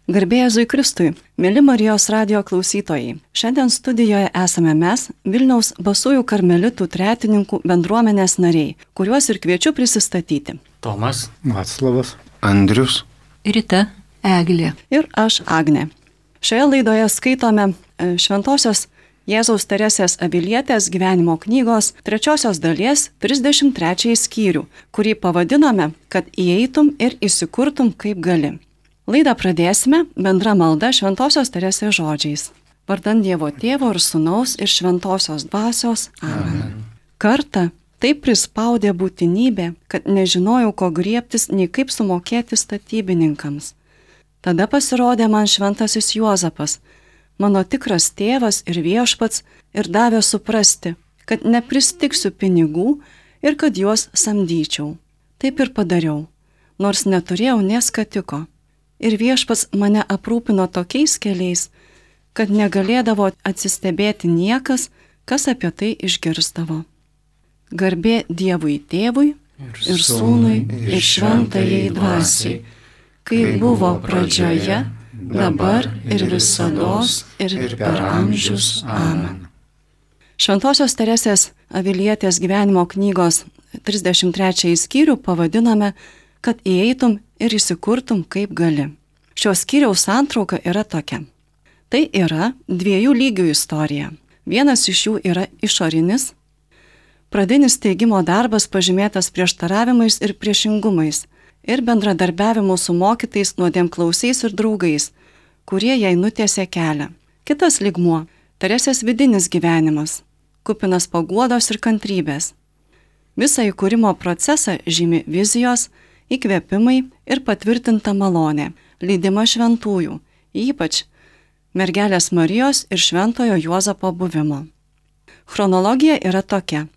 Garbė Jėzui Kristui, mėly Marijos radijo klausytojai. Šiandien studijoje esame mes, Vilniaus Basųjų karmelitų tretininkų bendruomenės nariai, kuriuos ir kviečiu prisistatyti. Tomas, Vaclavas, Andrius, Rita, Eglė Ir aš, Agnė. Šioje laidoje skaitome Šventosios Jėzaus Teresės Avilietės gyvenimo knygos 3 dalies 33 skyrių, kurį pavadinome, kad įeitum ir įsikurtum kaip gali. Laidą pradėsime bendra malda Šventosios Teresės žodžiais. Vardan Dievo Tėvo ir Sūnaus ir Šventosios Dvasios. Amen. Kartą taip prispaudė būtinybė, kad nežinojau, ko griebtis, nei kaip sumokėti statybininkams. Tada pasirodė man šventasis Juozapas, mano tikras tėvas ir viešpats, ir davė suprasti, kad nepristiksiu pinigų ir kad juos samdyčiau. Taip ir padariau, nors neturėjau nė skatiko. Ir viešpats mane aprūpino tokiais keliais, kad negalėdavo atsistebėti niekas, kas apie tai išgirstavo. Garbė Dievui Tėvui ir Sūnui ir Šventajai Dvasiai, kaip buvo pradžioje, dabar ir visados ir per amžius. Amen. Šventosios Teresės Avilietės gyvenimo knygos 33 skyrių pavadiname, kad įeitum ir įsikurtum kaip gali. Šios skyriaus santrauka yra tokia. Tai yra 2 lygių istorija. Vienas iš jų yra išorinis. Pradinis teigimo darbas pažymėtas prieštaravimais ir priešingumais ir bendradarbiavimu su mokytais, nuodėmklausiais ir draugais, kurie jai nutiesė kelią. Kitas lygmuo – Teresės vidinis gyvenimas, kupinas paguodos ir kantrybės. Visą įkūrimo procesą žymi vizijos, įkvėpimai ir patvirtinta malonė, lydima šventųjų, ypač mergelės Marijos ir šventojo Juozapo buvimo. Chronologija yra tokia.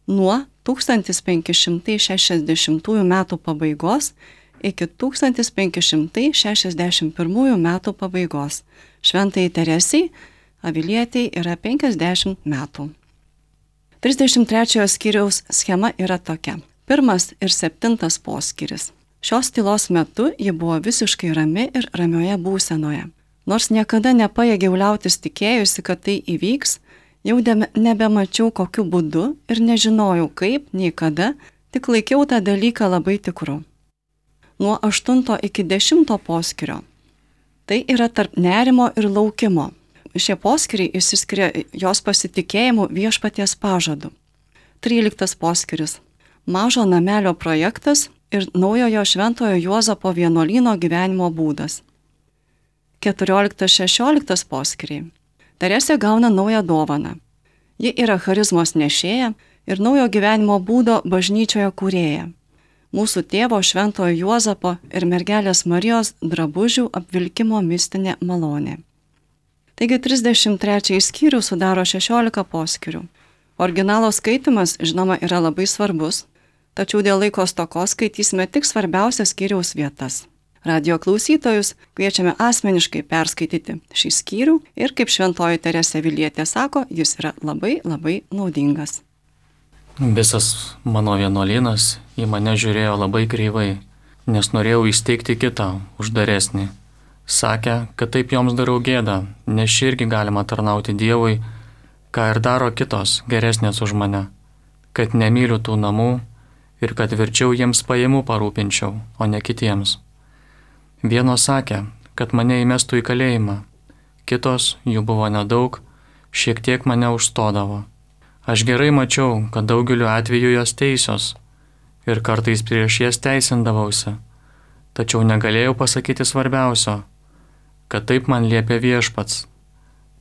Nuo 1560 metų pabaigos iki 1561 metų pabaigos. Šventai Teresiai Avilietei yra 50 metų. 33 skyriaus schema yra tokia. 1 ir 7 poskyris. Šios tylos metu ji buvo visiškai rami ir ramioje būsenoje. Nors niekada nepajėgiau liautis tikėjusi, kad tai įvyks, jau nebemačiau kokiu būdu ir nežinojau kaip, nei kada, tik laikiau tą dalyką labai tikru. Nuo 8 iki 10 poskyrio. Tai yra tarp nerimo ir laukimo. Šie poskyriai išsiskiria jos pasitikėjimu viešpaties pažadu. 13 poskyris. Mažo namelio projektas ir naujojo šventojo Juozapo vienuolyno gyvenimo būdas. 14-16 poskyriai. Teresė gauna naują dovaną. Ji yra charizmos nešėja ir naujo gyvenimo būdo bažnyčioje kūrėja. Mūsų tėvo šventojo Juozapo ir mergelės Marijos drabužių apvilkimo mistinė malonė. Taigi 33 skyrių sudaro 16 poskyrių. Originalo skaitimas, žinoma, yra labai svarbus, tačiau dėl laiko stokos skaitysime tik svarbiausias skyriaus vietas. Radio klausytojus kviečiame asmeniškai perskaityti šį skyrių ir, kaip šventoji Teresė Avilietė sako, jis yra labai naudingas. visas mano vienuolynas į mane žiūrėjo labai kreivai, nes norėjau įsteigti kitą, uždaresnį. Sakė, kad taip joms darau gėdą, nes irgi galima tarnauti Dievui, ką ir daro kitos, geresnės už mane, kad nemyliu tų namų ir kad verčiau jiems pajamų parūpinčiau, o ne kitiems. Vienos sakė, kad mane įmestų į kalėjimą, kitos, jų buvo nedaug, šiek tiek mane užstodavo. Aš gerai mačiau, kad daugeliu atveju jos teisios ir kartais prieš jas teisindavausi, tačiau negalėjau pasakyti svarbiausio, kad taip man liepė viešpats,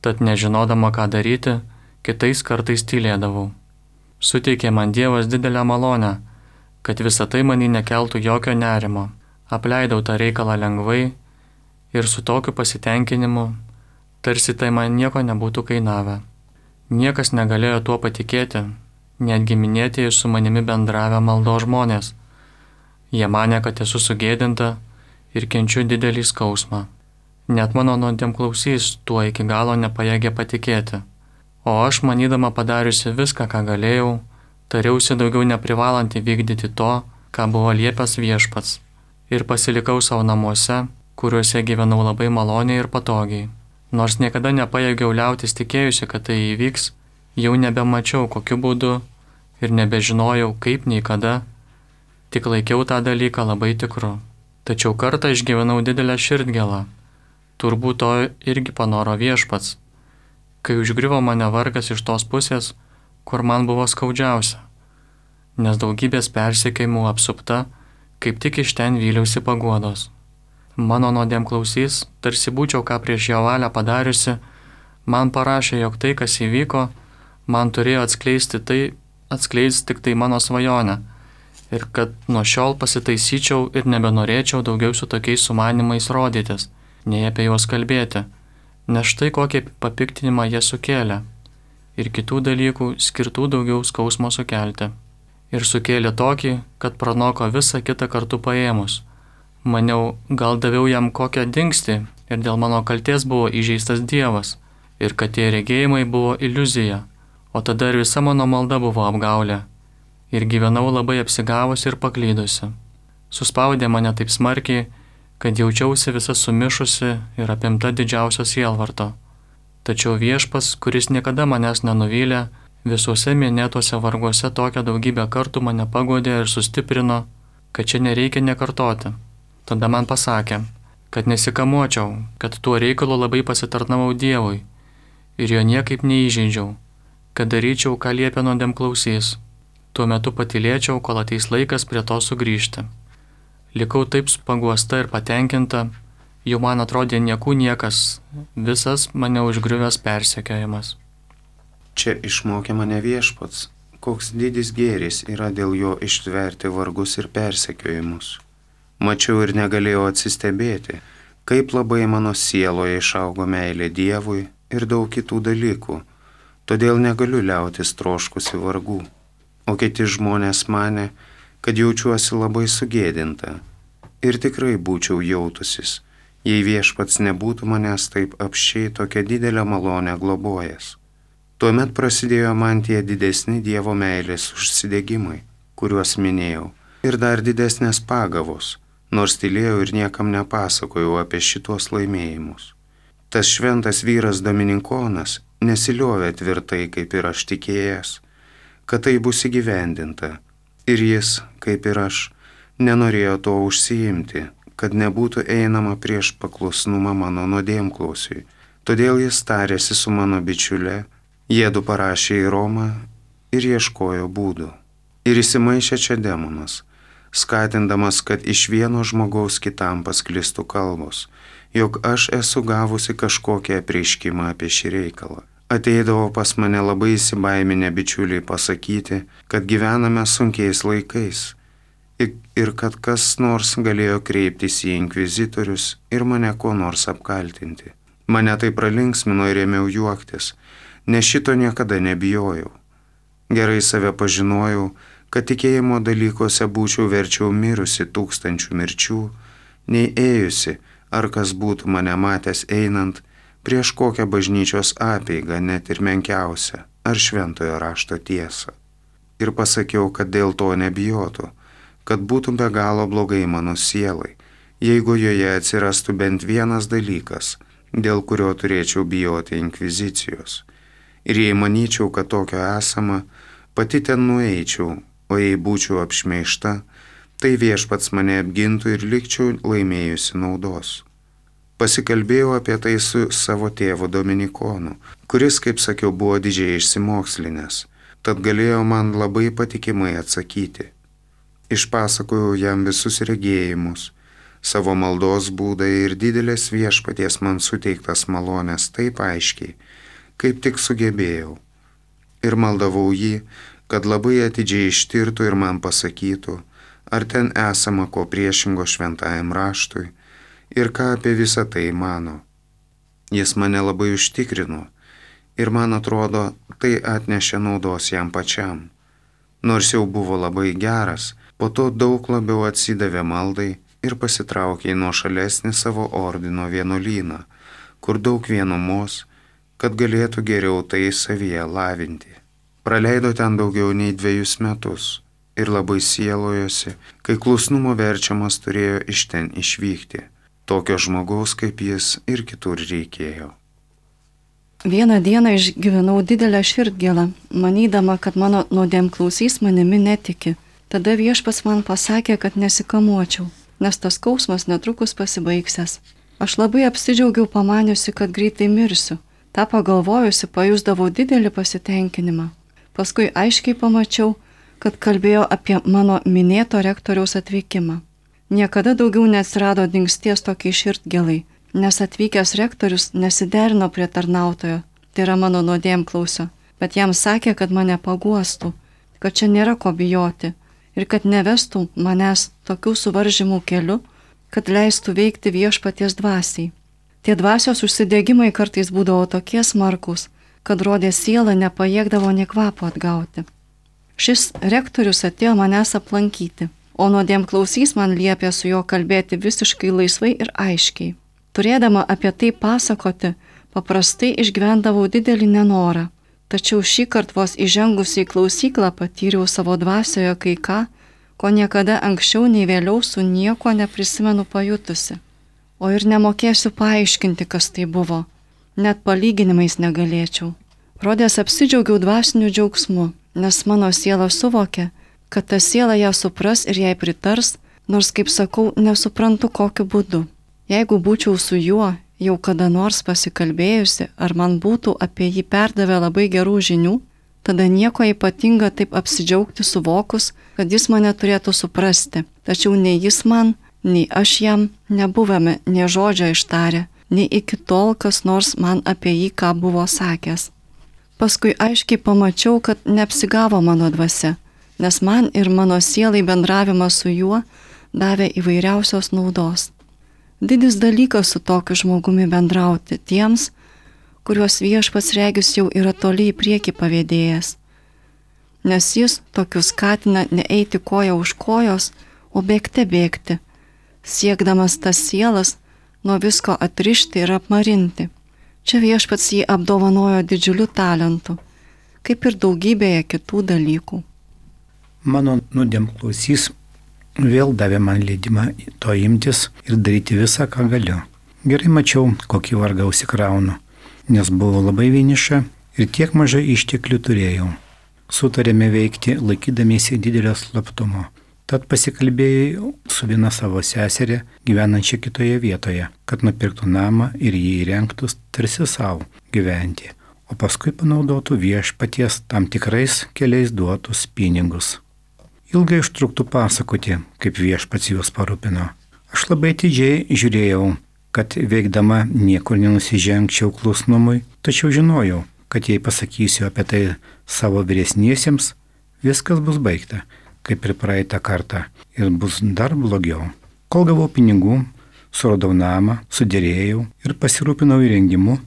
tad nežinodama ką daryti, kitais kartais tylėdavau. Suteikė man Dievas didelę malonę, kad visa tai manį nekeltų jokio nerimo. Apleidau tą reikalą lengvai ir su tokiu pasitenkinimu, tarsi tai man nieko nebūtų kainavę. Niekas negalėjo tuo patikėti, net giminėtieji su manimi bendravę maldos žmonės. Jie manė, kad esu sugėdinta ir kenčiu didelį skausmą. Net mano nuodėmklausys tuo iki galo nepajėgė patikėti. O aš, manydama padariusi viską, ką galėjau, tariausi daugiau neprivalanti vykdyti to, ką buvo liepęs viešpats, ir pasilikau savo namuose, kuriuose gyvenau labai maloniai ir patogiai. Nors niekada nepajėgiau liautis tikėjusi, kad tai įvyks, jau nebemačiau kokiu būdu ir nebežinojau kaip nei kada, tik laikiau tą dalyką labai tikru. Tačiau kartą išgyvenau didelę širdgėlą, turbūt to irgi panoro Viešpats, kai užgriuvo mane vargas iš tos pusės, kur man buvo skaudžiausia, nes daugybės persekiojimų apsupta, kaip tik iš ten vyliausi paguodos. Mano nuodėmklausys, tarsi būčiau ką prieš jo valią padariusi, man parašė, jog tai, kas įvyko, man turėjo atskleisti tik tai mano svajonę ir kad nuo šiol pasitaisyčiau ir nebenorėčiau daugiau su tokiais sumanimais rodytis, nei apie juos kalbėti, nes štai kokį papiktinimą jie sukėlė ir kitų dalykų skirtų daugiau skausmo sukelti. Ir sukėlė tokį, kad pranoko visą kitą kartu paėmus. Maniau, gal daviau jam kokią dingstį ir dėl mano kalties buvo įžeistas Dievas ir kad tie regėjimai buvo iliuzija, o tada ir visa mano malda buvo apgaulė ir gyvenau labai apsigavusi ir paklydusi. Suspaudė mane taip smarkiai, kad jaučiausi visa sumišusi ir apimta didžiausio sielvarto. Tačiau Viešpas, kuris niekada manęs nenuvylė, visuose minėtuose varguose tokią daugybę kartų mane paguodė ir sustiprino, kad čia nereikia nekartoti. Tada man pasakė, kad nesikamuočiau, kad tuo reikalu labai pasitarnavau Dievui ir jo niekaip neįžeidžiau, kad daryčiau, ką liepia nuodėmklausys. Tuo metu patylėčiau, kol ateis laikas prie to sugrįžti. Likau taip paguosta ir patenkinta, jau man atrodė niekų niekas, visas mane užgriuvęs persekiojimas. Čia išmokė mane Viešpats, koks didis gėris yra dėl jo ištverti vargus ir persekiojimus. Mačiau ir negalėjau atsistebėti, kaip labai mano sieloje išaugo meilė Dievui ir daug kitų dalykų, todėl negaliu liautis troškusi vargų. O kiti žmonės manė, kad jaučiuosi labai sugėdinta ir tikrai būčiau jautusis, jei Viešpats nebūtų manęs taip apsčiai tokią didelę malonę globojęs. Tuomet prasidėjo man tie didesni Dievo meilės užsidegimai, kuriuos minėjau, ir dar didesnės pagavos, nors tylėjau ir niekam nepasakojau apie šitos laimėjimus. Tas šventas vyras Dominikonas nesiliovė tvirtai, kaip ir aš tikėjęs, kad tai bus įgyvendinta, ir jis, kaip ir aš, nenorėjo to užsiimti, kad nebūtų einama prieš paklusnumą mano nuodėmklausiui. Todėl jis tarėsi su mano bičiule, jiedu parašė į Romą ir ieškojo būdų. Ir įsimaišė čia demonas, skatindamas, kad iš vieno žmogaus kitam pasklistų kalbos, jog aš esu gavusi kažkokią apreiškimą apie šį reikalą. Ateidavo pas mane labai įsibaiminę bičiuliai pasakyti, kad gyvename sunkiais laikais ir kad kas nors galėjo kreiptis į inkvizitorius ir mane kuo nors apkaltinti. Mane tai pralinksmino ir ėmiau juoktis, nes šito niekada nebijojau. Gerai save pažinojau, kad tikėjimo dalykuose būčiau verčiau mirusi 1000 mirčių, nei ėjusi, ar kas būtų mane matęs einant, prieš kokią bažnyčios apeigą, net ir menkiausią, ar šventojo rašto tiesą. Ir pasakiau, kad dėl to nebijotų, kad būtų be galo blogai mano sielai, jeigu joje atsirastų bent vienas dalykas, dėl kurio turėčiau bijoti inkvizicijos. Ir jei manyčiau, kad tokio esama, pati ten nueičiau, o jei būčiau apšmeižta, tai Viešpats mane apgintų ir likčiau laimėjusi naudos. Pasikalbėjau apie tai su savo tėvu Dominikonu, kuris, kaip sakiau, buvo didžiai išsimokslinęs, tad galėjo man labai patikimai atsakyti. Išpasakojau jam visus regėjimus, savo maldos būdą ir didelės Viešpaties man suteiktas malonės taip aiškiai, kaip tik sugebėjau. Ir maldavau jį, kad labai atidžiai ištirtų ir man pasakytų, ar ten esama ko priešingo šventajam raštui, ir ką apie visą tai mano. Jis mane labai užtikrino ir man atrodo, tai atnešė naudos jam pačiam. Nors jau buvo labai geras, po to daug labiau atsidavė maldai ir pasitraukė į nuošalesnį savo ordino vienuolyną, kur daug vienumos, kad galėtų geriau tai savyje lavinti. Praleido ten daugiau nei 2 metus ir labai sielojosi, kai klusnumo verčiamas turėjo iš ten išvykti. Tokio žmogaus kaip jis ir kitur reikėjo. Vieną dieną išgyvenau didelę širdgėlą, manydama, kad mano nuodėmklausys manimi netiki. Tada Viešpats man pasakė, kad nesikamuočiau, nes tas skausmas netrukus pasibaigsęs. Aš labai apsidžiaugiau pamaniusi, kad greitai mirsiu. Ta pagalvojusi pajusdavau didelį pasitenkinimą. Paskui aiškiai pamačiau, kad kalbėjo apie mano minėto rektoriaus atvykimą. Niekada daugiau neatsirado dingsties tokiai širdgėlai, nes atvykęs rektorius nesiderino prie tarnautojo, tai yra mano nuodėmklausio, bet jam sakė, kad mane paguostų, kad čia nėra ko bijoti ir kad nevestų manęs tokių suvaržymų keliu, kad leistų veikti Viešpaties dvasiai. Tie dvasios užsidegimai kartais būdavo tokie smarkus, kad rodė siela nepajėgdavo nė kvapo atgauti. Šis rektorius atėjo manęs aplankyti, o nuodėmklausys man liepė su juo kalbėti visiškai laisvai ir aiškiai. Turėdama apie tai pasakoti, paprastai išgyvendavau didelį nenorą, tačiau šį kartą vos įžengusi į klausyklą patyriau savo dvasioje kai ką, ko niekada anksčiau nei vėliau su nieko neprisimenu pajutusi. O ir nemokėsiu paaiškinti, kas tai buvo, net palyginimais negalėčiau. Rodės apsidžiaugiau dvasiniu džiaugsmu, nes mano siela suvokė, kad ta siela ją supras ir jai pritars, nors, kaip sakau, nesuprantu kokiu būdu. Jeigu būčiau su juo jau kada nors pasikalbėjusi, ar man būtų apie jį perdavę labai gerų žinių, tada nieko ypatinga taip apsidžiaugti suvokus, kad jis mane turėtų suprasti. Tačiau nei jis man, nei aš jam nebuvome nė žodžio ištarę, nei iki tol kas nors man apie jį ką buvo sakęs. Paskui aiškiai pamačiau, kad neapsigavo mano dvasia, nes man ir mano sielai bendravimas su juo davė įvairiausios naudos. Didis dalykas su tokiu žmogumi bendrauti tiems, kuriuos Viešpats regis jau yra toli į priekį pavėdėjęs, nes jis tokius skatina neeiti koja už kojos, o bėgti, siekdamas tas sielas nuo visko atrišti ir apmarinti. Čia Viešpats jį apdovanojo didžiuliu talentu, kaip ir daugybėje kitų dalykų. Mano nuodėmklausys vėl davė man leidimą to imtis ir daryti visą, ką galiu. Gerai mačiau, kokį vargą užsikraunu, nes buvau labai vieniša ir tiek mažai išteklių turėjau. Sutarėme veikti laikydamiesi didelio slaptumo. Tad pasikalbėjau su viena savo seserė, gyvenančia kitoje vietoje, kad nupirktų namą ir jį įrengtų tarsi savo gyventi, o paskui panaudotų Viešpaties tam tikrais keliais duotus pinigus. Ilgai užtruktų pasakoti, kaip Viešpats juos parūpino. Aš labai atidžiai žiūrėjau, kad veikdama niekur nenusižengčiau klusnumui, tačiau žinojau, kad jei pasakysiu apie tai savo vyresniesiems, viskas bus baigta, kaip ir praeitą kartą, ir bus dar blogiau. Kol gavau pinigų, suradau namą, sudėrėjau ir pasirūpinau įrengimu,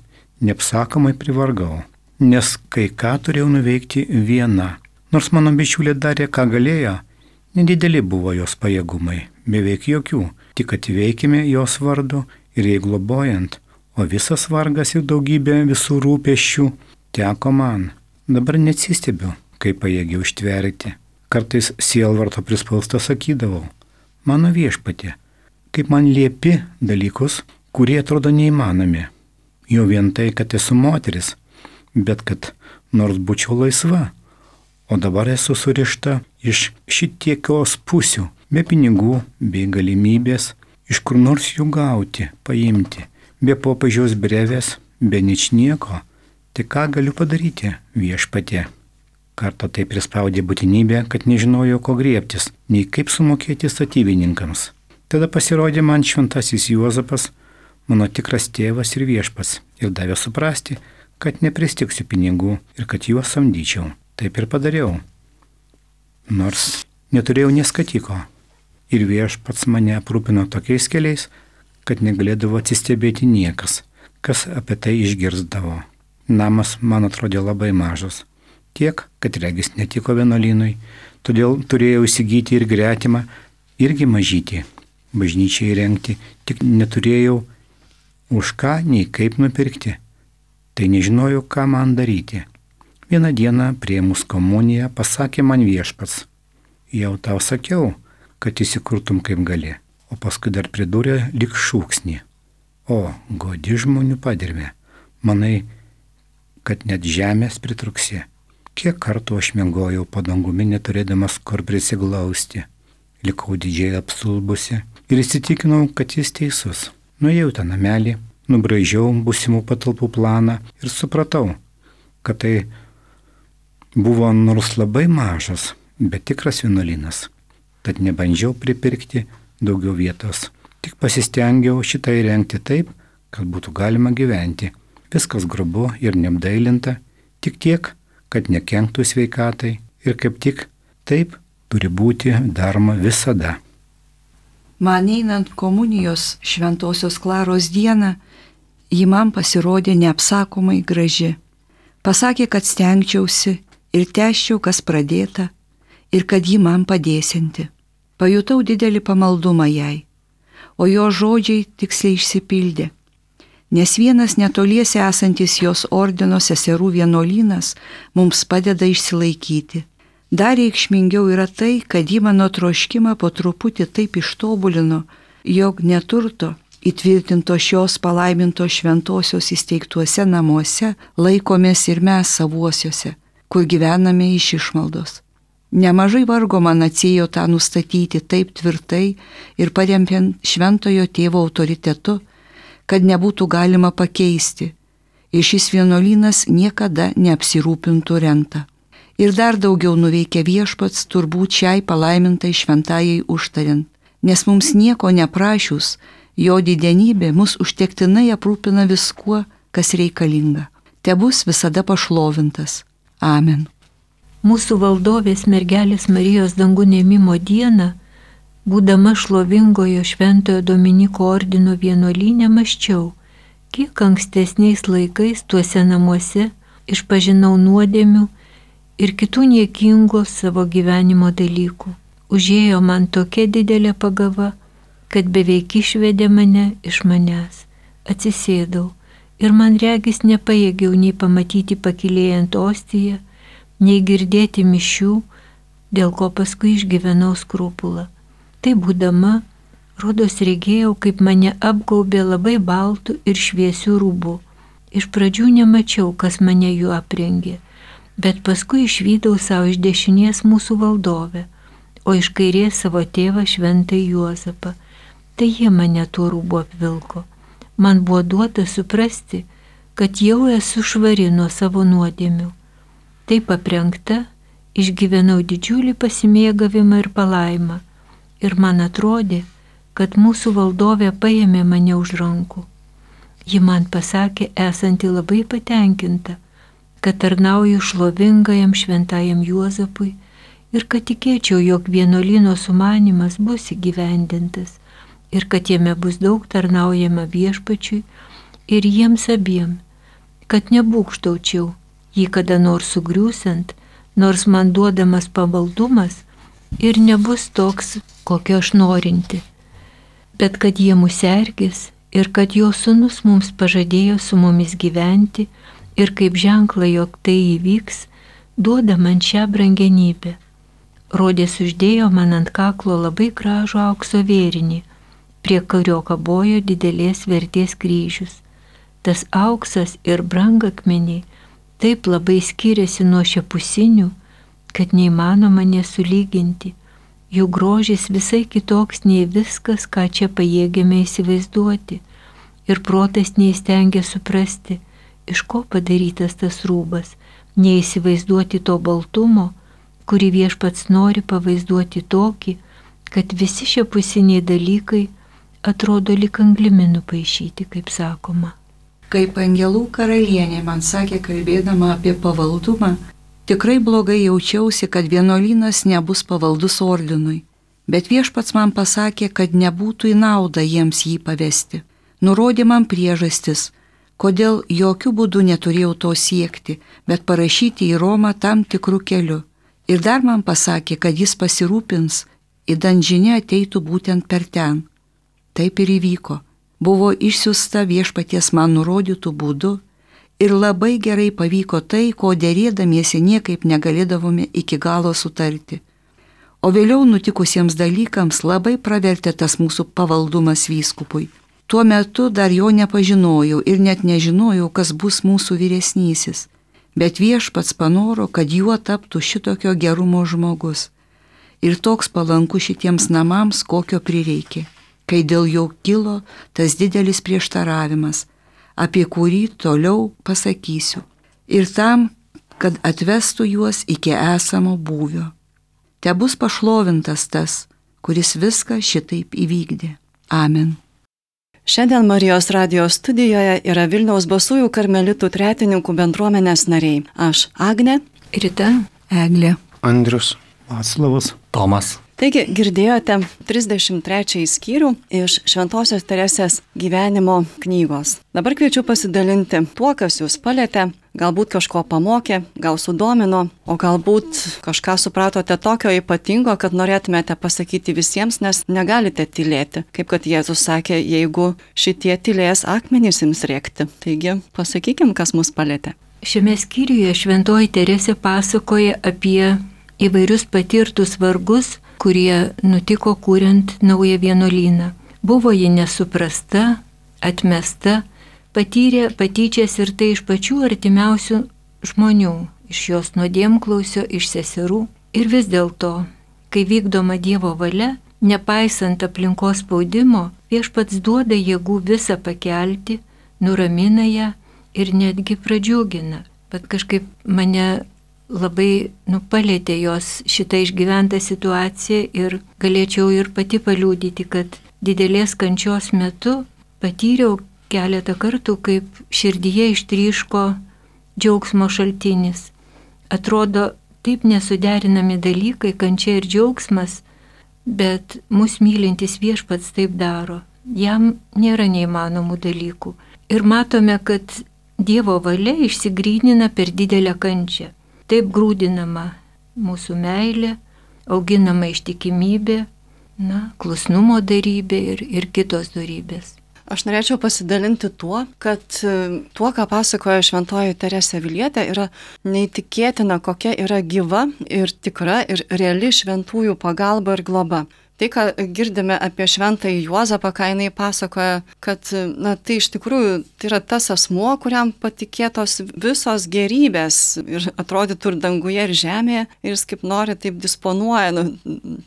neapsakomai privargau, nes kai ką turėjau nuveikti viena. Nors mano bičiulė darė, ką galėjo, nedideli buvo jos pajėgumai, beveik jokių, tik atveikime jos vardu ir jai globojant, o visas vargas ir daugybė visų rūpesčių teko man. Dabar neatsistebiu, kaip pajėgiau ištverti. Kartais sielvarto prispausta sakydavau, mano Viešpatie, kaip man liepi dalykus, kurie atrodo neįmanomi. Jau vien tai, kad esu moteris, bet kad nors būčiau laisva, o dabar esu surišta iš šitiekios pusių, be pinigų, be galimybės, iš kur nors jų gauti, paimti, be popiežiaus brevės, be ničnieko, tai ką galiu padaryti, Viešpatie? Kartą tai prispaudė būtinybė, kad nežinojau, ko griebtis, nei kaip sumokėti statybininkams. Tada pasirodė man šventasis Juozapas, mano tikras tėvas ir Viešpats, ir davė suprasti, kad nepristiksiu pinigų ir kad juos samdyčiau. Taip ir padariau. Nors neturėjau neskatiko. Ir Viešpats mane aprūpino tokiais keliais, kad negalėdavo atsistebėti niekas, kas apie tai išgirzdavo. Namas man atrodė labai mažas. Tiek, kad regis netiko vienuolynui, todėl turėjau įsigyti ir gretimą, irgi mažytį, bažnyčiai įrengti, tik neturėjau už ką nei kaip nupirkti. Tai nežinojau, ką man daryti. Vieną dieną priėmus komuniją pasakė man Viešpats, jau tau sakiau, kad įsikurtum kaip gali, o paskui dar pridūrė lyg šūksnį. O, godi žmonių padirvė, manai, kad net žemės pritruksi. Kiek kartų aš miegojau po dangumi, neturėdamas kur prisiglausti. Likau didžiai apsulbusi ir įsitikinau, kad jis teisus. Nuėjau tą namelį, nubraižiau būsimų patalpų planą ir supratau, kad tai buvo nors labai mažas, bet tikras vienuolynas. Tad nebandžiau pripirkti daugiau vietos. Tik pasistengiau šitą įrengti taip, kad būtų galima gyventi. Viskas grubu ir neapdailinta, tik tiek, kad nekenktų sveikatai ir kaip tik taip turi būti daroma visada. Man einant komunijos Šventosios Klaros dieną, ji man pasirodė neapsakomai graži. Pasakė, kad stengčiausi ir tęsčiau, kas pradėta, ir kad ji man padėsianti. Pajutau didelį pamaldumą jai, o jo žodžiai tiksliai išsipildė. Nes vienas netoliese esantis jos ordino seserų vienuolynas mums padeda išsilaikyti. Dar reikšmingiau yra tai, kad ji mano troškimą po truputį taip ištobulino, jog neturto įtvirtinto šios palaimintos šventosios įsteigtuose namuose laikomės ir mes savuosiuose, kur gyvename iš išmaldos. Nemažai vargo man atsėjo tą nustatyti taip tvirtai ir parempiant šventojo tėvo autoritetu, kad nebūtų galima pakeisti, ir šis vienuolynas niekada neapsirūpintų rentą. Ir dar daugiau nuveikė viešpats turbūt šiai palaimintai šventajai užtariant, nes mums nieko neprašius, jo didenybė mus užtektinai aprūpina viskuo, kas reikalinga. Tebus visada pašlovintas. Amen. Mūsų valdovės mergelės Marijos dangų ėmimo dieną, būdama šlovingojo Šventojo Dominiko ordino vienuolyne, mąsčiau, kiek ankstesniais laikais tuose namuose išpažinau nuodėmių ir kitų niekingų savo gyvenimo dalykų. Užėjo man tokia didelė pagava, kad beveik išvedė mane iš manęs. Atsisėdau ir man regis nepajėgiau nei pamatyti pakilėjant ostiją, nei girdėti mišių, dėl ko paskui išgyvenau skrupulą. Tai būdama, rodos regėjau, kaip mane apgaubė labai baltų ir šviesių rūbų. Iš pradžių nemačiau, kas mane jų aprengė, bet paskui išvydau savo iš dešinės mūsų valdovę, o iš kairės savo tėvą Šventąjį Juozapą. Tai jie mane tuo rūbu apvilko. Man buvo duota suprasti, kad jau esu švari nuo savo nuodėmių. Taip aprengta, išgyvenau didžiulį pasimėgavimą ir palaimą, ir man atrodė, kad mūsų valdovė paėmė mane už rankų. Ji man pasakė, esanti labai patenkinta, kad tarnauju šlovingajam Šventajam Juozapui ir kad tikėčiau, jog vienuolyno sumanymas bus įgyvendintas ir kad jame bus daug tarnaujama viešpačiui ir jiems abiem, kad nebūgštaučiau jį kada nors sugriūsant, nors man duodamas pamaldumas ir nebus toks, kokio aš norinti, bet kad jie mus sergės ir kad jo sūnus mums pažadėjo su mumis gyventi ir kaip ženklą, jog tai įvyks, duoda man šią brangenybę. Rodės uždėjo man ant kaklo labai gražų aukso vėrinį, prie kurio kabojo didelės vertės kryžius. Tas auksas ir brangakmeniai taip labai skiriasi nuo šiapusinių, kad neįmanoma nesulyginti. Jų grožis visai kitoks nei viskas, ką čia pajėgėme įsivaizduoti, ir protas neįstengia suprasti, iš ko padarytas tas rūbas, neįsivaizduoti to baltumo, kurį viešpats nori pavaizduoti tokį, kad visi šiapusiniai dalykai atrodo lyg anglimi nupaišyti, kaip sakoma. Kaip angelų karalienė man sakė, kalbėdama apie pavaldumą, tikrai blogai jaučiausi, kad vienuolynas nebus pavaldus ordinui, bet viešpats man pasakė, kad nebūtų į naudą jiems jį pavesti. Nurodė man priežastis, kodėl jokių būdų neturėjau to siekti, bet parašyti į Romą tam tikrų kelių. Ir dar man pasakė, kad jis pasirūpins, idant žinia ateitų būtent per ten. Taip ir įvyko. Buvo išsiųsta viešpaties man nurodytų būdų ir labai gerai pavyko tai, ko derėdamiesi niekaip negalėdavome iki galo sutarti. O vėliau nutikusiems dalykams labai pravertė tas mūsų pavaldumas vyskupui. Tuo metu dar jo nepažinojau ir net nežinojau, kas bus mūsų vyresnysis. Bet Viešpats panoro, kad juo taptų šitokio gerumo žmogus. Ir toks palankus šitiems namams, kokio prireikė, kai dėl jo kilo tas didelis prieštaravimas, apie kurį toliau pasakysiu. Ir tam, kad atvestų juos iki esamo būvio. Te bus pašlovintas tas, kuris viską šitaip įvykdė. Amen. Šiandien Marijos radijos studijoje yra Vilniaus Basųjų karmelitų tretininkų bendruomenės nariai. Aš Agnė, Rita, Eglė, Andrius. Vaclavas. Tomas. Taigi girdėjote 33 skyrių iš Šventosios Teresės gyvenimo knygos. Dabar kviečiu pasidalinti tuo, kas jūs palietė, galbūt kažko pamokė, gal sudomino, o galbūt kažką supratote tokio ypatingo, kad norėtumėte pasakyti visiems, nes negalite tylėti. Kaip kad Jėzus sakė, jeigu šitie tylės, akmenys ims rėkti. Taigi pasakykim, kas mus palietė. Šiame skyriuje Šventoji Teresė pasakoja apie įvairius patirtus vargus, kurie nutiko kuriant naują vienuolyną. Buvo ji nesuprasta, atmesta, patyrė patyčias ir tai iš pačių artimiausių žmonių, iš jos nuodėmklausio, iš seserų. Ir vis dėlto, kai vykdoma Dievo valia, nepaisant aplinkos spaudimo, Viešpats duoda jėgų visą pakelti, nuramina ją ir netgi pradžiugina. Bet kažkaip mane labai palėtė jos šitą išgyventą situaciją ir galėčiau ir pati paliūdyti, kad didelės kančios metu patyriau keletą kartų, kaip širdyje ištryško džiaugsmo šaltinis. Atrodo, taip nesuderinami dalykai, kančia ir džiaugsmas, bet mus mylintis Viešpats taip daro. Jam nėra neįmanomų dalykų. Ir matome, kad Dievo valia išsigrynina per didelę kančią. Taip grūdinama mūsų meilė, auginama ištikimybė, klusnumo darybė ir kitos darybės. Aš norėčiau pasidalinti tuo, kad tuo, ką pasakoja Šventoji Teresė Avilietė, yra neįtikėtina, kokia yra gyva ir tikra ir reali šventųjų pagalba ir globa. Tai, ką girdime apie Šventąjį Juozapą, ką jinai pasakoja, kad tai iš tikrųjų tai yra tas asmuo, kuriam patikėtos visos gerybės ir atrodytų ir danguje, ir žemėje, ir jis kaip nori taip disponuoja,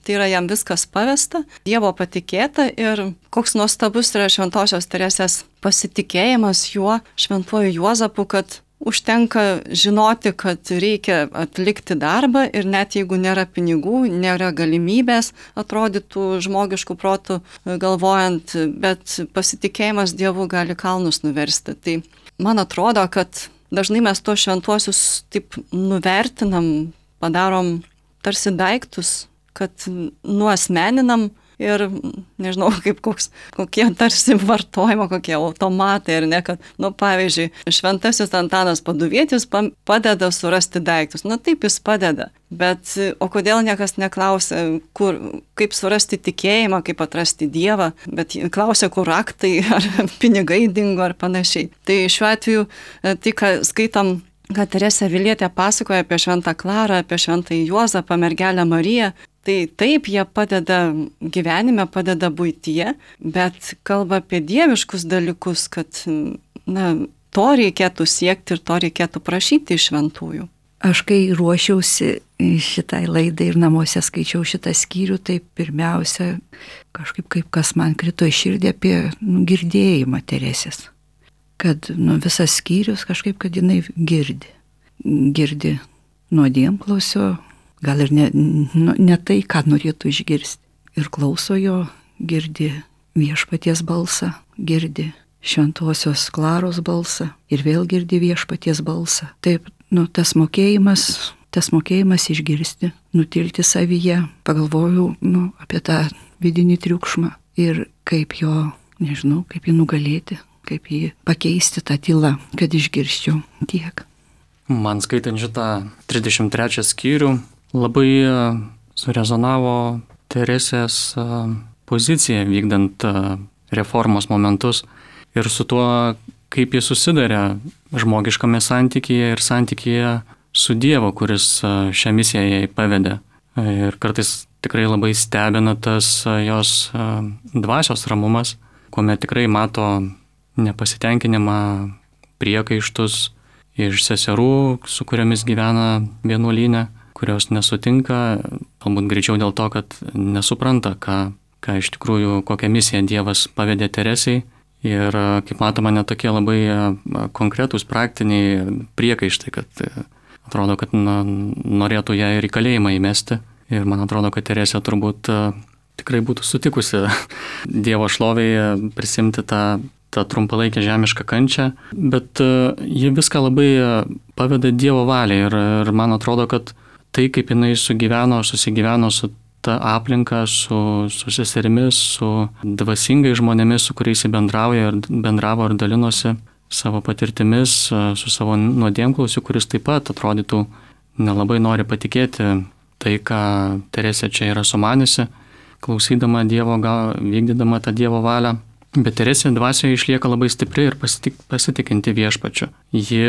tai yra jam viskas pavesta, Dievo patikėta ir koks nuostabus yra Šventosios Teresės pasitikėjimas juo, Šventuoju Juozapu, kad užtenka žinoti, kad reikia atlikti darbą ir net jeigu nėra pinigų, nėra galimybės, atrodytų žmogiškų protų galvojant, bet pasitikėjimas Dievu gali kalnus nuversti. Tai man atrodo, kad dažnai mes tuos šventuosius taip nuvertinam, padarom tarsi daiktus, kad nuasmeninam ir nežinau, kaip kokie tarsi vartojimo, kokie automatai, ar ne, kad, pavyzdžiui, Šventasis Antanas Paduvietis padeda surasti daiktus. Taip jis padeda, bet o kodėl niekas neklausia, kaip surasti tikėjimą, kaip atrasti Dievą, bet klausia, kur raktai, ar pinigai dingo, ar panašiai. Tai šiuo atveju, tai, ką skaitom, kad Teresė Avilietė pasakoja apie Šventą Klarą, apie Šventąjį Juozapą, mergelę Mariją, tai taip jie padeda gyvenime, padeda buityje, bet kalba apie dieviškus dalykus, kad to reikėtų siekti ir to reikėtų prašyti iš šventųjų. Aš kai ruošiausi šitai laidai ir namuose skaičiau šitą skyrių, tai pirmiausia, kažkaip kaip kas man krito į širdį apie girdėjimą Teresės. Kad visas skyrius kažkaip, kad jinai girdi nuodėmklausio, gal ir ne tai, ką norėtų išgirsti. Ir klauso jo, girdi Viešpaties balsą, girdi Šventosios Klaros balsą ir vėl girdi Viešpaties balsą. Taip, tas mokėjimas išgirsti, nutilti savyje, pagalvojau apie tą vidinį triukšmą ir kaip jo, nežinau, kaip jį nugalėti, kaip jį pakeisti tą tylą, kad išgirsčiau tiek. Man skaitant šitą 33 skyrių, labai surezonavo Teresės pozicija vykdant reformos momentus ir su tuo, kaip jis susidarė žmogiškame santykyje ir santykyje su Dievu, kuris šią misiją jai pavedė. Ir kartais tikrai labai stebina tas jos dvasios ramumas, kuomet tikrai mato nepasitenkinimą, priekaištus iš seserų, su kuriomis gyvena vienuolyne, kurios nesutinka, galbūt greičiau dėl to, kad nesupranta, ką iš tikrųjų, kokią misiją Dievas pavedė Teresei. Ir kaip matoma, netokie labai konkretūs praktiniai priekaištai, kad atrodo, kad norėtų ją ir į kalėjimą įmesti. Ir man atrodo, kad Teresė turbūt tikrai būtų sutikusi Dievo šlovėje prisimti tą trumpalaikę žemišką kančią, bet ji viską labai paveda Dievo valiai ir man atrodo, kad tai, kaip jinai susigyveno su ta aplinka, su seserimis, su dvasingai žmonėmis, su kuriais jis bendravo ir dalinosi savo patirtimis, su savo nuodėmklausiu, kuris taip pat atrodytų nelabai nori patikėti tai, ką Teresė čia yra sumaniusi, klausydama Dievo, vykdydama tą Dievo valią. Bet Teresė dvasioje išlieka labai stipri ir pasitikinti viešpačiu. Ji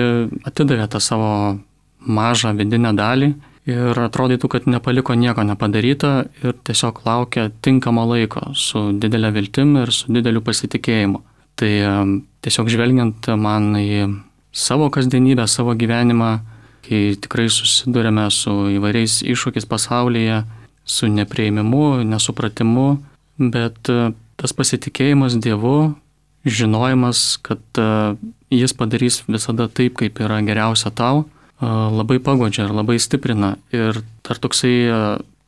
atidavė tą savo mažą vidinę dalį ir atrodytų, kad nepaliko nieko nepadaryta ir tiesiog laukia tinkamo laiko su didelė viltim ir su dideliu pasitikėjimu. Tai tiesiog žvelgiant man į savo kasdienybę, savo gyvenimą, kai tikrai susidurėme su įvairiais iššūkiais pasaulyje, su neprieimimu, nesupratimu, bet tas pasitikėjimas Dievu, žinojimas, kad jis padarys visada taip, kaip yra geriausia tau, labai pagodžia ir labai stiprina. Ir dar toksai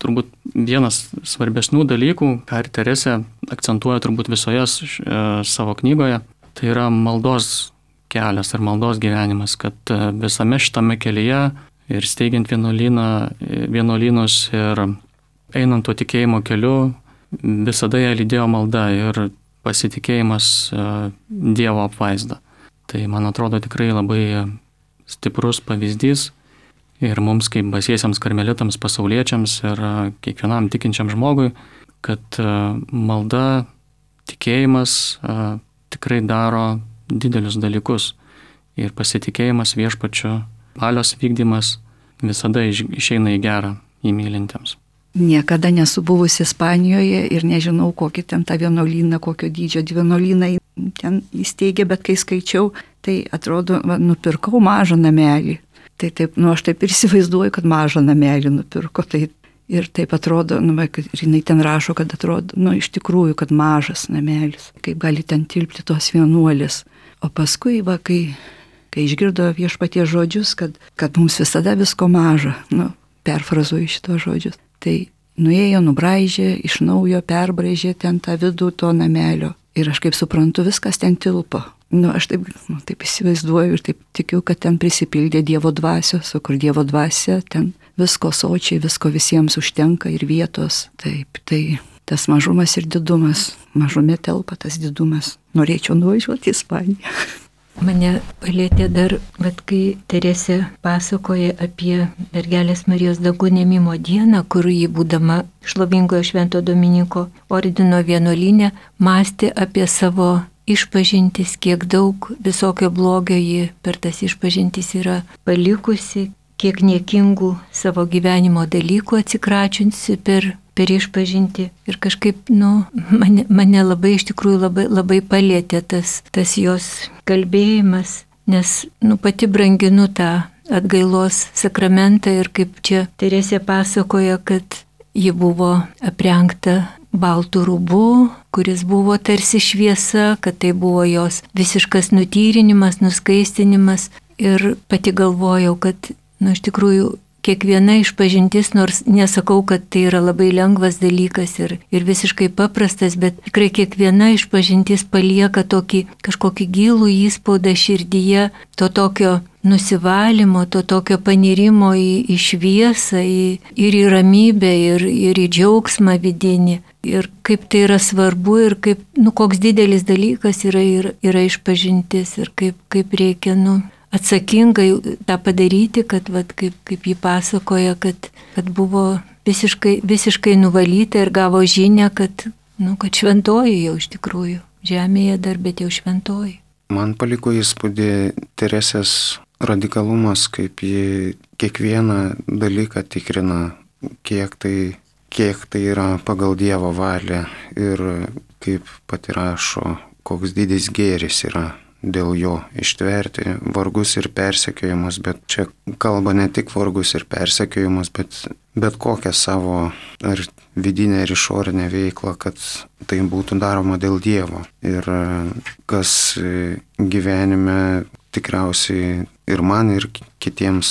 turbūt vienas svarbesnių dalykų, ką ir Teresė akcentuoja turbūt visoje savo knygoje, tai yra maldos kelias ir maldos gyvenimas, kad visame šitame kelyje ir steigiant vienuolynus ir einant tuo tikėjimo keliu, visada ją lydėjo malda ir pasitikėjimas Dievo apvaizda. Tai man atrodo tikrai labai stiprus pavyzdys ir mums kaip basiesiams karmelitams, pasauliečiams ir kiekvienam tikinčiam žmogui, kad malda, tikėjimas tikrai daro didelius dalykus ir pasitikėjimas viešpačiu, valios vykdymas visada išeina į gerą įmylintiems. Niekada nesu buvusi Ispanijoje ir nežinau, kokį ten tą vienuolyną, kokio dydžio vienuolyną ten įsteigė, bet kai skaičiau, tai atrodo, nupirkau mažą namelį. Tai taip, aš taip ir įsivaizduoju, kad mažą namelį nupirko. Tai ir taip atrodo, ir jinai ten rašo, kad atrodo, iš tikrųjų, kad mažas namelis. Kaip gali ten tilpti tos vienuolės. O paskui, kai išgirdo viešpaties žodžius, kad mums visada visko maža, perfrazuoju šitos žodžius, tai nuėjo, nubraižė, iš naujo perbraižė ten tą vidų to namelio. Ir aš kaip suprantu, viskas ten tilpo. Aš taip įsivaizduoju ir taip tikiu, kad ten prisipildė Dievo dvasios, o kur Dievo dvasia, ten visko sočiai, visko visiems užtenka ir vietos. Taip, tai tas mažumas ir didumas, mažume telpa tas didumas. Norėčiau nuvažiuoti į Ispaniją. Mane palėtė dar, kai Teresė pasakoja apie mergelės Marijos Dangų ėmimo dieną, kur ji, būdama šlovingojo Švento Dominiko ordino vienuolyne, mąstė apie savo išpažintis, kiek daug visokio blogio ji per tas išpažintis yra palikusi, kiek niekingų savo gyvenimo dalykų atsikračiusi per išpažinti. Ir kažkaip, mane labai iš tikrųjų labai palėtė tas jos kalbėjimas, nes, pati branginu tą atgailos sakramentą ir kaip čia Teresė pasakoja, kad ji buvo aprengta baltų rūbų, kuris buvo tarsi šviesa, kad tai buvo jos visiškas nutyrinimas, nuskaistinimas. Ir pati galvojau, kad, iš tikrųjų, kiekviena išpažintis, nors nesakau, kad tai yra labai lengvas dalykas ir visiškai paprastas, bet tikrai kiekviena išpažintis palieka kažkokį gilų įspaudą širdyje, to tokio nusivalymo, to tokio panirimo į šviesą, ir į ramybę, ir į džiaugsmą vidinį. Ir kaip tai yra svarbu ir kaip, koks didelis dalykas yra išpažintis ir kaip reikia, atsakingai tą padaryti, kad kaip ji pasakoja, kad buvo visiškai nuvalyta ir gavo žinią, kad šventoji jau iš tikrųjų, žemėje dar, bet jau šventoji. Man paliko įspūdį Teresės radikalumas, kaip ji kiekvieną dalyką tikrina, kiek tai kiek tai yra pagal Dievo valią ir kaip pati rašo, koks didis gėris yra dėl jo ištverti vargus ir persekiojimus, bet čia kalba ne tik vargus ir persekiojimus, bet kokią savo ar vidinę ir išorinę veiklą, kad tai būtų daroma dėl Dievo. Ir kas gyvenime tikriausiai ir man, ir kitiems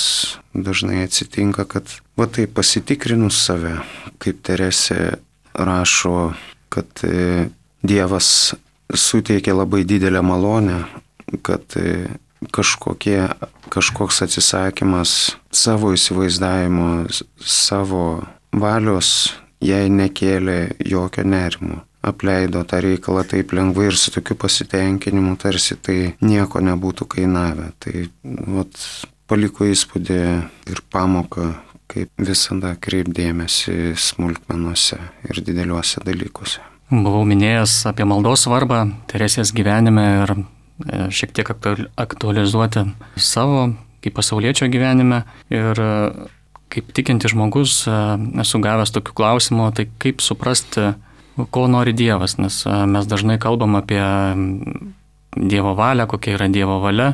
dažnai atsitinka, kad va tai pasitikrinus save, kaip Teresė rašo, kad Dievas suteikia labai didelę malonę, kad kažkoks atsisakymas savo įsivaizdavimo, savo valios jai nekėlė jokio nerimo. Apleido tą reikalą taip lengvai ir su tokiu pasitenkinimu, tarsi tai nieko nebūtų kainavę. Tai paliko įspūdį ir pamoką, kaip visada kreipdėmėsi smulkmenuose ir dideliuose dalykuose. Buvau minėjęs apie maldos svarbą Teresės gyvenime ir šiek tiek aktualizuoti savo kaip pasauliečio gyvenime. Ir kaip tikinti žmogus esu gavęs tokių klausimų, tai kaip suprasti, ko nori Dievas, nes mes dažnai kalbam apie Dievo valią, kokia yra Dievo valia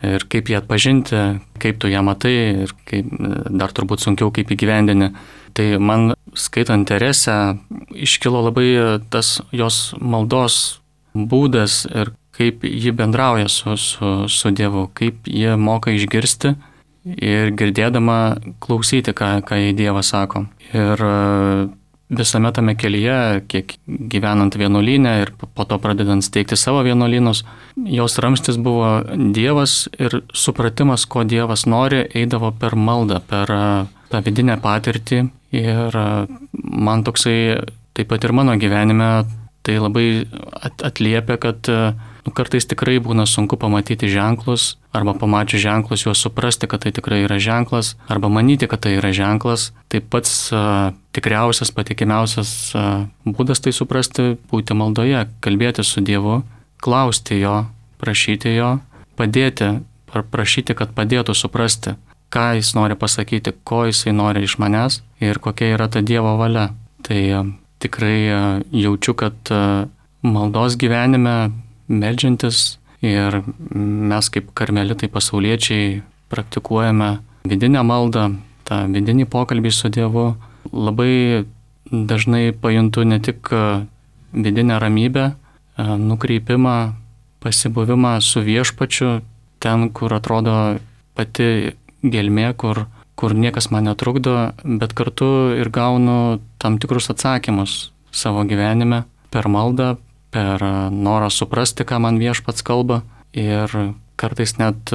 ir kaip ją atpažinti, kaip tu ją matai ir kaip, dar turbūt sunkiau kaip įgyvendini. Tai man skaitant Teresę iškilo labai tas jos maldos būdas ir kaip ji bendrauja su Dievu, kaip ji moka išgirsti ir girdėdama klausyti, ką jai Dievas sako. Ir visame tame kelyje, kiek gyvenant vienuolyne ir po to pradedant steigti savo vienuolynus, jos ramstis buvo Dievas ir supratimas, ko Dievas nori, eidavo per maldą, per tą vidinę patirtį. Ir man toksai, taip pat ir mano gyvenime, tai labai atliepia, kad kartais tikrai būna sunku pamatyti ženklus, arba pamačius ženklus juos suprasti, kad tai tikrai yra ženklas, arba manyti, kad tai yra ženklas. Tai pats tikriausias, patikimiausias būdas tai suprasti, būti maldoje, kalbėti su Dievu, klausti jo, prašyti jo, padėti, prašyti, kad padėtų suprasti, ką jis nori pasakyti, ko jisai nori iš manęs ir kokia yra ta Dievo valia. Tai tikrai jaučiu, kad maldos gyvenime meldžiantis ir mes kaip karmelitai pasauliečiai praktikuojame vidinę maldą, tą vidinį pokalbį su Dievu. Labai dažnai pajuntu ne tik vidinę ramybę, nukreipimą, pasibuvimą su viešpačiu, ten, kur atrodo pati gelmė, kur niekas man netrukdo, bet kartu ir gaunu tam tikrus atsakymus savo gyvenime per maldą, per norą suprasti, ką man viešpats kalba ir kartais net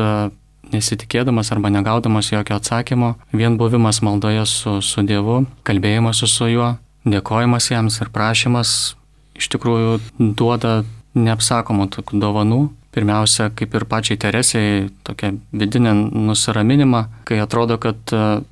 nesitikėdamas arba negaudamas jokio atsakymo, vien buvimas maldoje su Dievu, kalbėjimas su juo, dėkojimas jiems ir prašymas iš tikrųjų duoda neapsakomų tokių dovanų. Pirmiausia, kaip ir pačiai Teresei, tokia vidinė nusiraminimą, kai atrodo, kad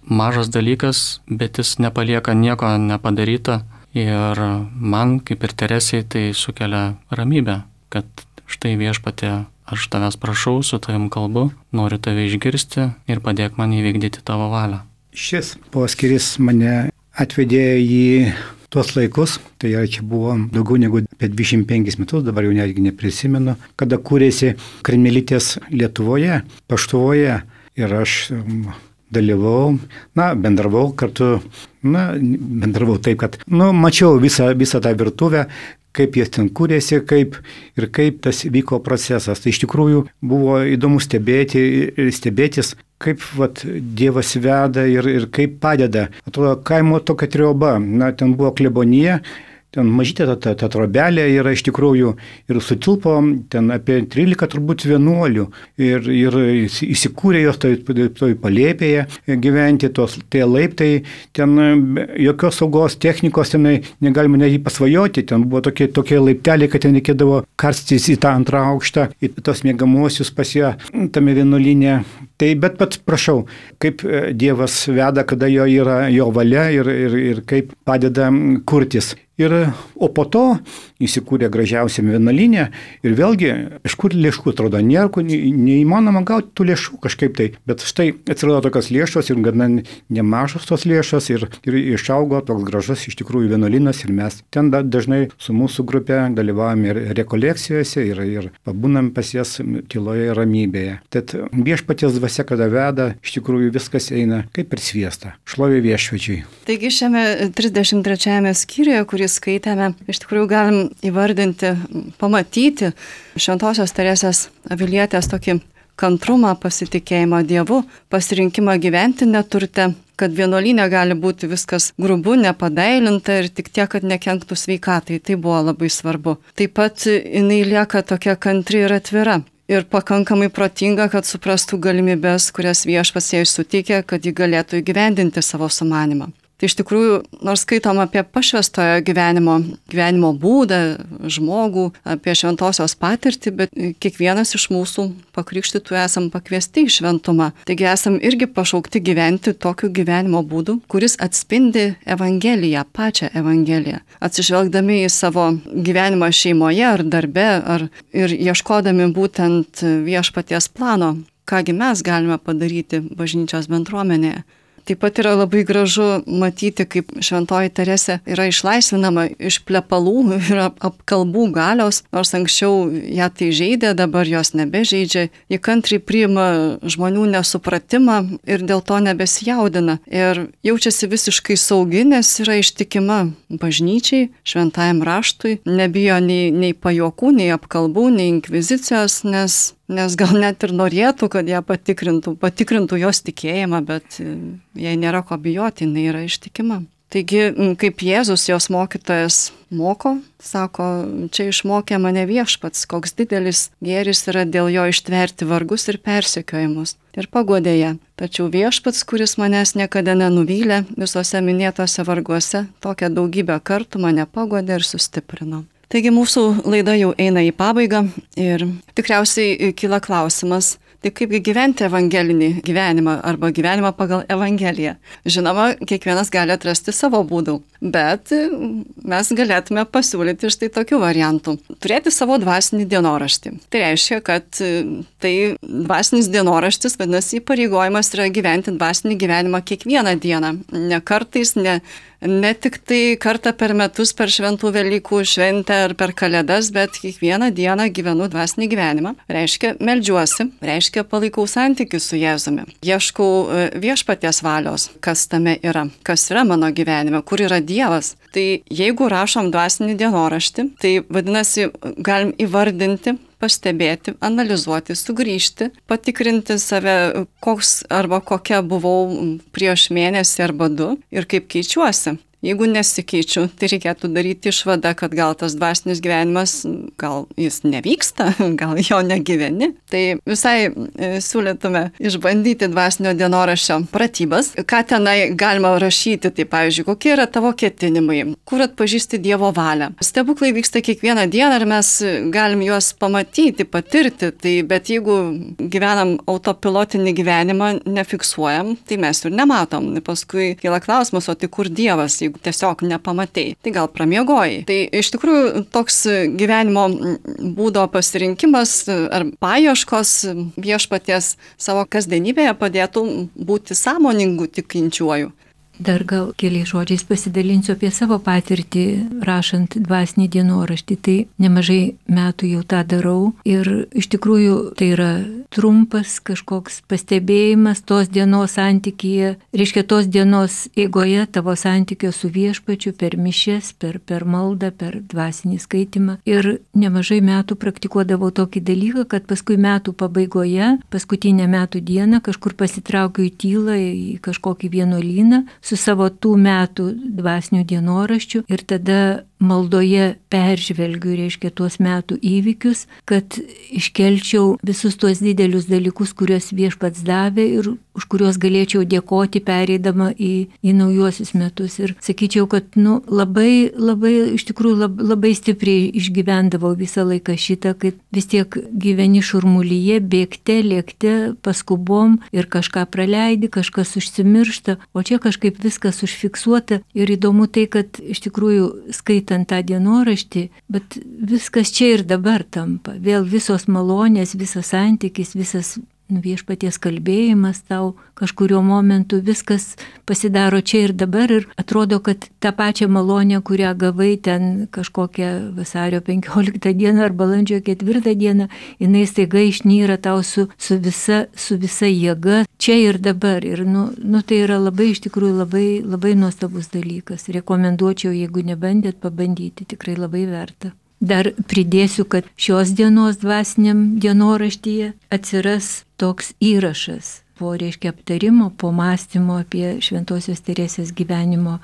mažas dalykas, bet jis nepalieka nieko nepadaryta. Ir man, kaip ir Teresei, tai sukelia ramybę, kad štai viešpatie, aš tavęs prašau, su tavim kalbu, noriu tave išgirsti ir padėk man įvykdyti tavo valią. Šis poskiris mane atvedė į tuos laikus, tai čia buvo daugiau negu apie 25 metus, dabar jau netgi neprisimenu, kada kūrėsi karmelitės Lietuvoje, Paštuvoje ir aš dalyvau, bendravau kartu, bendravau taip, kad, mačiau visą tą virtuvę, kaip jie ten kūrėsi, kaip tas vyko procesas. Tai iš tikrųjų buvo įdomu stebėtis, kaip Dievas veda ir kaip padeda. Atrodo, kaimo tokia trioba, ten buvo klebonija, ten mažytė ta trobelė yra iš tikrųjų ir sutilpo ten apie 13 turbūt vienuolių ir įsikūrė jos toj palėpėje gyventi, tie laiptai, ten jokios saugos technikos tenai negalima net pasvajoti, ten buvo tokie laipteliai, kad ten reikėdavo karstytis į tą antrą aukštą, į tos miegamuosius pas ją tame vienuolyne. Tai bet prašau, kaip Dievas veda, kada jo yra jo valia ir kaip padeda kurtis. O po to įsikūrė gražiausiam vienuolyne ir vėlgi, iš kur lėšų atrodo, neįmanoma gauti tų lėšų kažkaip tai, bet štai atsirado tokios lėšos ir gana nemažos tos lėšos ir išaugo toks gražus iš tikrųjų vienuolynas ir mes ten dažnai su mūsų grupė dalyvavome ir rekolekcijose ir pabūnam pas jas tyloje ir ramybėje. Tad viešpaties dvasia, kada veda, iš tikrųjų viskas eina kaip per sviestą. Šlovė viešpačiui. Taigi šiame 33 skyriuje, kurį skaitėme, iš tikrųjų galim įvardinti, pamatyti Šventosios Teresės Avilietės tokį kantrumą, pasitikėjimą Dievu, pasirinkimą gyventi neturte, kad vienuolyne gali būti viskas grubu, nepadailinta ir tik tiek, kad nekenktų sveikatai. Tai buvo labai svarbu. Taip pat jinai lieka tokia kantri ir atvira. Ir pakankamai protinga, kad suprastų galimybės, kurias viešpats jai suteikė, kad ji galėtų įgyvendinti savo sumanimą. Tai iš tikrųjų, nors skaitom apie pašvęstojo gyvenimo būdą, žmogų, apie šventosios patirtį, bet kiekvienas iš mūsų pakrikštytų esam pakviesti į šventumą. Taigi esam irgi pašaukti gyventi tokiu gyvenimo būdu, kuris atspindi Evangeliją, pačią Evangeliją. Atsižvelgdami į savo gyvenimą šeimoje ar darbe, ir ieškodami būtent viešpaties plano, kągi mes galime padaryti bažnyčios bendruomenėje. Taip pat yra labai gražu matyti, kaip šventoji Teresė yra išlaisvinama iš plepalų ir apkalbų galios, nors anksčiau ją tai žeidė, dabar jos nebežeidžia. Ji kantriai priima žmonių nesupratimą ir dėl to nebesijaudina. Ir jaučiasi visiškai saugi, nes yra ištikima bažnyčiai, šventajam raštui, nebijo nei pajuokų, nei apkalbų, nei inkvizicijos, nes gal net ir norėtų, kad ją patikrintų jos tikėjimą, bet jai nėra ko bijoti, jinai yra ištikima. Taigi, kaip Jėzus, jos mokytojas, moko, sako, čia išmokė mane viešpats, koks didelis gėris yra dėl jo ištverti vargus ir persekiojimus. Ir paguodė ją. Tačiau viešpats, kuris manęs niekada nenuvylė, visose minėtose varguose, tokią daugybę kartų mane paguodė ir sustiprino. Taigi mūsų laida jau eina į pabaigą ir tikriausiai kyla klausimas, tai kaipgi gyventi evangelinį gyvenimą arba gyvenimą pagal Evangeliją. Žinoma, kiekvienas gali atrasti savo būdų, bet mes galėtume pasiūlyti štai tokių variantų. Turėti savo dvasinį dienoraštį. Tai reiškia, kad tai dvasinis dienoraštis, vadinasi, įpareigojimas yra gyventi dvasinį gyvenimą kiekvieną dieną. Ne kartais, ne tik tai kartą per metus, per šventų Velykų šventę ar per Kalėdas, bet kiekvieną dieną gyvenu dvasinį gyvenimą. Reiškia, meldžiuosi, reiškia, palaikau santykių su Jėzumi. Ieškau viešpaties valios, kas tame yra, kas yra mano gyvenime, kur yra Dievas. Tai jeigu rašom dvasinį dienoraštį, tai vadinasi, galim įvardinti, pastebėti, analizuoti, sugrįžti, patikrinti save, koks arba kokia buvau prieš mėnesį arba 2 ir kaip keičiuosi. Jeigu nesikeičiu, tai reikėtų daryti išvadą, kad gal tas dvasinis gyvenimas, gal jis nevyksta, gal jo negyveni. Tai visai siūlytume išbandyti dvasinio dienoraščio pratybas. Ką tenai galima rašyti, tai pavyzdžiui, kokie yra tavo ketinimai, kur atpažįsti Dievo valią. Stebuklai vyksta kiekvieną dieną ir mes galim juos pamatyti, patirti, bet jeigu gyvenam autopilotinį gyvenimą, nefiksuojam, tai mes ir nematom. Paskui kyla klausimas, o tai kur Dievas, jeigu tiesiog nepamatei, tai gal pramiegojai. Tai iš tikrųjų toks gyvenimo būdo pasirinkimas ar paieškos viešpaties savo kasdienybėje padėtų būti sąmoningu tikinčiuoju. Dar gal keliais žodžiais pasidalinsiu apie savo patirtį rašant dvasinį dienoraštį. Tai nemažai metų jau tą darau ir iš tikrųjų tai yra trumpas kažkoks pastebėjimas tos dienos santykyje, reiškia tos dienos eigoje tavo santykio su viešpačiu per mišias, per maldą, per dvasinį skaitimą. Ir nemažai metų praktikuodavau tokį dalyką, kad paskui metų pabaigoje, paskutinę metų dieną kažkur pasitraukiu į tylą, į kažkokį vienuolyną, su savo tų metų dvasinių dienoraščių ir tada maldoje peržvelgiu, reiškia, tuos metų įvykius, kad iškelčiau visus tuos didelius dalykus, kuriuos viešpats davė ir už kuriuos galėčiau dėkoti pereidama į naujuosius metus. Ir sakyčiau, kad labai, iš tikrųjų labai stipriai išgyvendavau visą laiką šitą, kad vis tiek gyveni šurmulyje, bėgte, lėkte, paskubom ir kažką praleidi, kažkas užsimiršta, o čia kažkaip viskas užfiksuota ir įdomu tai, kad iš tikrųjų skaitai skaitant tą dienoraštį, bet viskas čia ir dabar tampa. Vėl visos malonės, visas santykis, visas viešpaties kalbėjimas tau kažkurio momentu, viskas pasidaro čia ir dabar ir atrodo, kad tą pačią malonę, kurią gavai ten kažkokią vasario 15 dieną ar balandžio 4 dieną, jinai staiga išnyra tau su visa jėga čia ir dabar. Ir tai yra labai, iš tikrųjų, labai nuostabus dalykas. Rekomenduočiau, jeigu nebandėt, pabandyti, tikrai labai verta. Dar pridėsiu, kad šios dienos dvasiniam dienoraštyje atsiras toks įrašas po aptarimo, po mąstymo apie Šventosios Teresės gyvenimo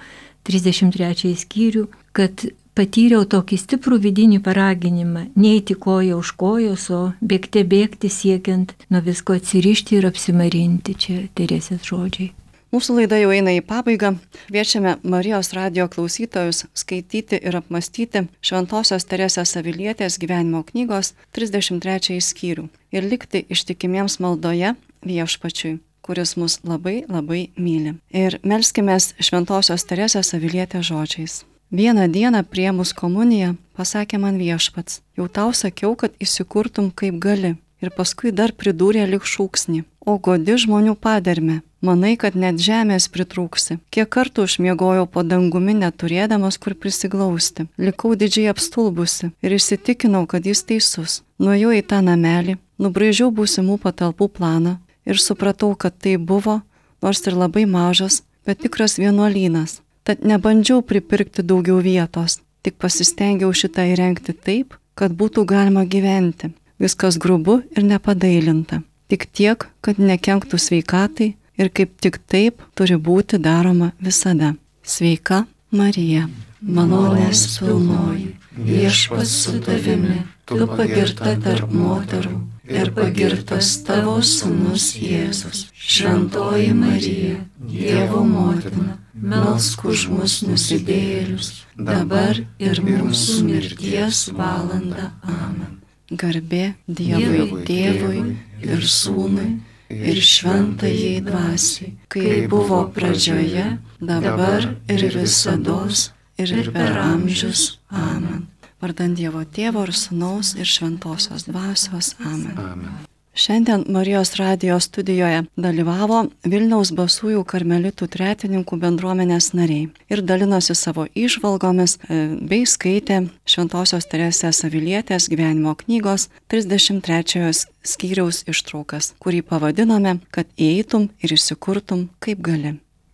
33 skyrių, kad patyriau tokį stiprų vidinį paraginimą neiti koja už kojos, o bėgti siekiant nuo visko atsirišti ir apsimarinti. Čia Teresės žodžiai. Mūsų laida jau eina į pabaigą. Kviečiame Marijos radijo klausytojus skaityti ir apmastyti Šventosios Teresės Avilietės gyvenimo knygos 33 skyrių ir likti ištikimiems maldoje Viešpačiui, kuris mus labai labai myli. Ir melskimės Šventosios Teresės Avilietės žodžiais. Vieną dieną priėmus komuniją pasakė man Viešpats: jau tau sakiau, kad įsikurtum kaip gali. Ir paskui dar pridūrė lyg šūksnį: o godi žmonių padermę. Manai, kad net žemės pritrūksi. Kiek kartų užmiegojau po dangumi, neturėdamas kur prisiglausti. Likau didžiai apstulbusi ir įsitikinau, kad jis teisus. Nuėjau į tą namelį, nubraižiau būsimų patalpų planą ir supratau, kad tai buvo, nors ir labai mažas, bet tikras vienuolynas. Tad nebandžiau pripirkti daugiau vietos, tik pasistengiau šitą įrengti taip, kad būtų galima gyventi. Viskas grubu ir nepadailinta. Tik tiek, kad nekenktų sveikatai ir kaip tik taip turi būti daroma visada. Sveika Marija, malonės pilnoji, Viešpats su tavimi, tu pagirta tarp moterų ir pagirtas tavo sūnus Jėzus. Šventoji Marija, Dievo motina, melsk už mus nusidėjėlius, dabar ir mūsų mirties valandą. Amen. Garbė Dievui Tėvui ir Sūnui ir Šventajai Dvasiai, kai buvo pradžioje, dabar ir visados ir per amžius. Amen. Vardant Dievo Tėvo ir Sūnaus ir Šventosios Dvasios. Amen. Amen. Šiandien Marijos radijo studijoje dalyvavo Vilniaus Basųjų karmelitų tretininkų bendruomenės nariai ir dalinosi savo įžvalgomis bei skaitė Šventosios Teresės Avilietės gyvenimo knygos 33 skyriaus ištraukas, kurį pavadinome, kad eitum ir įsikurtum kaip gali.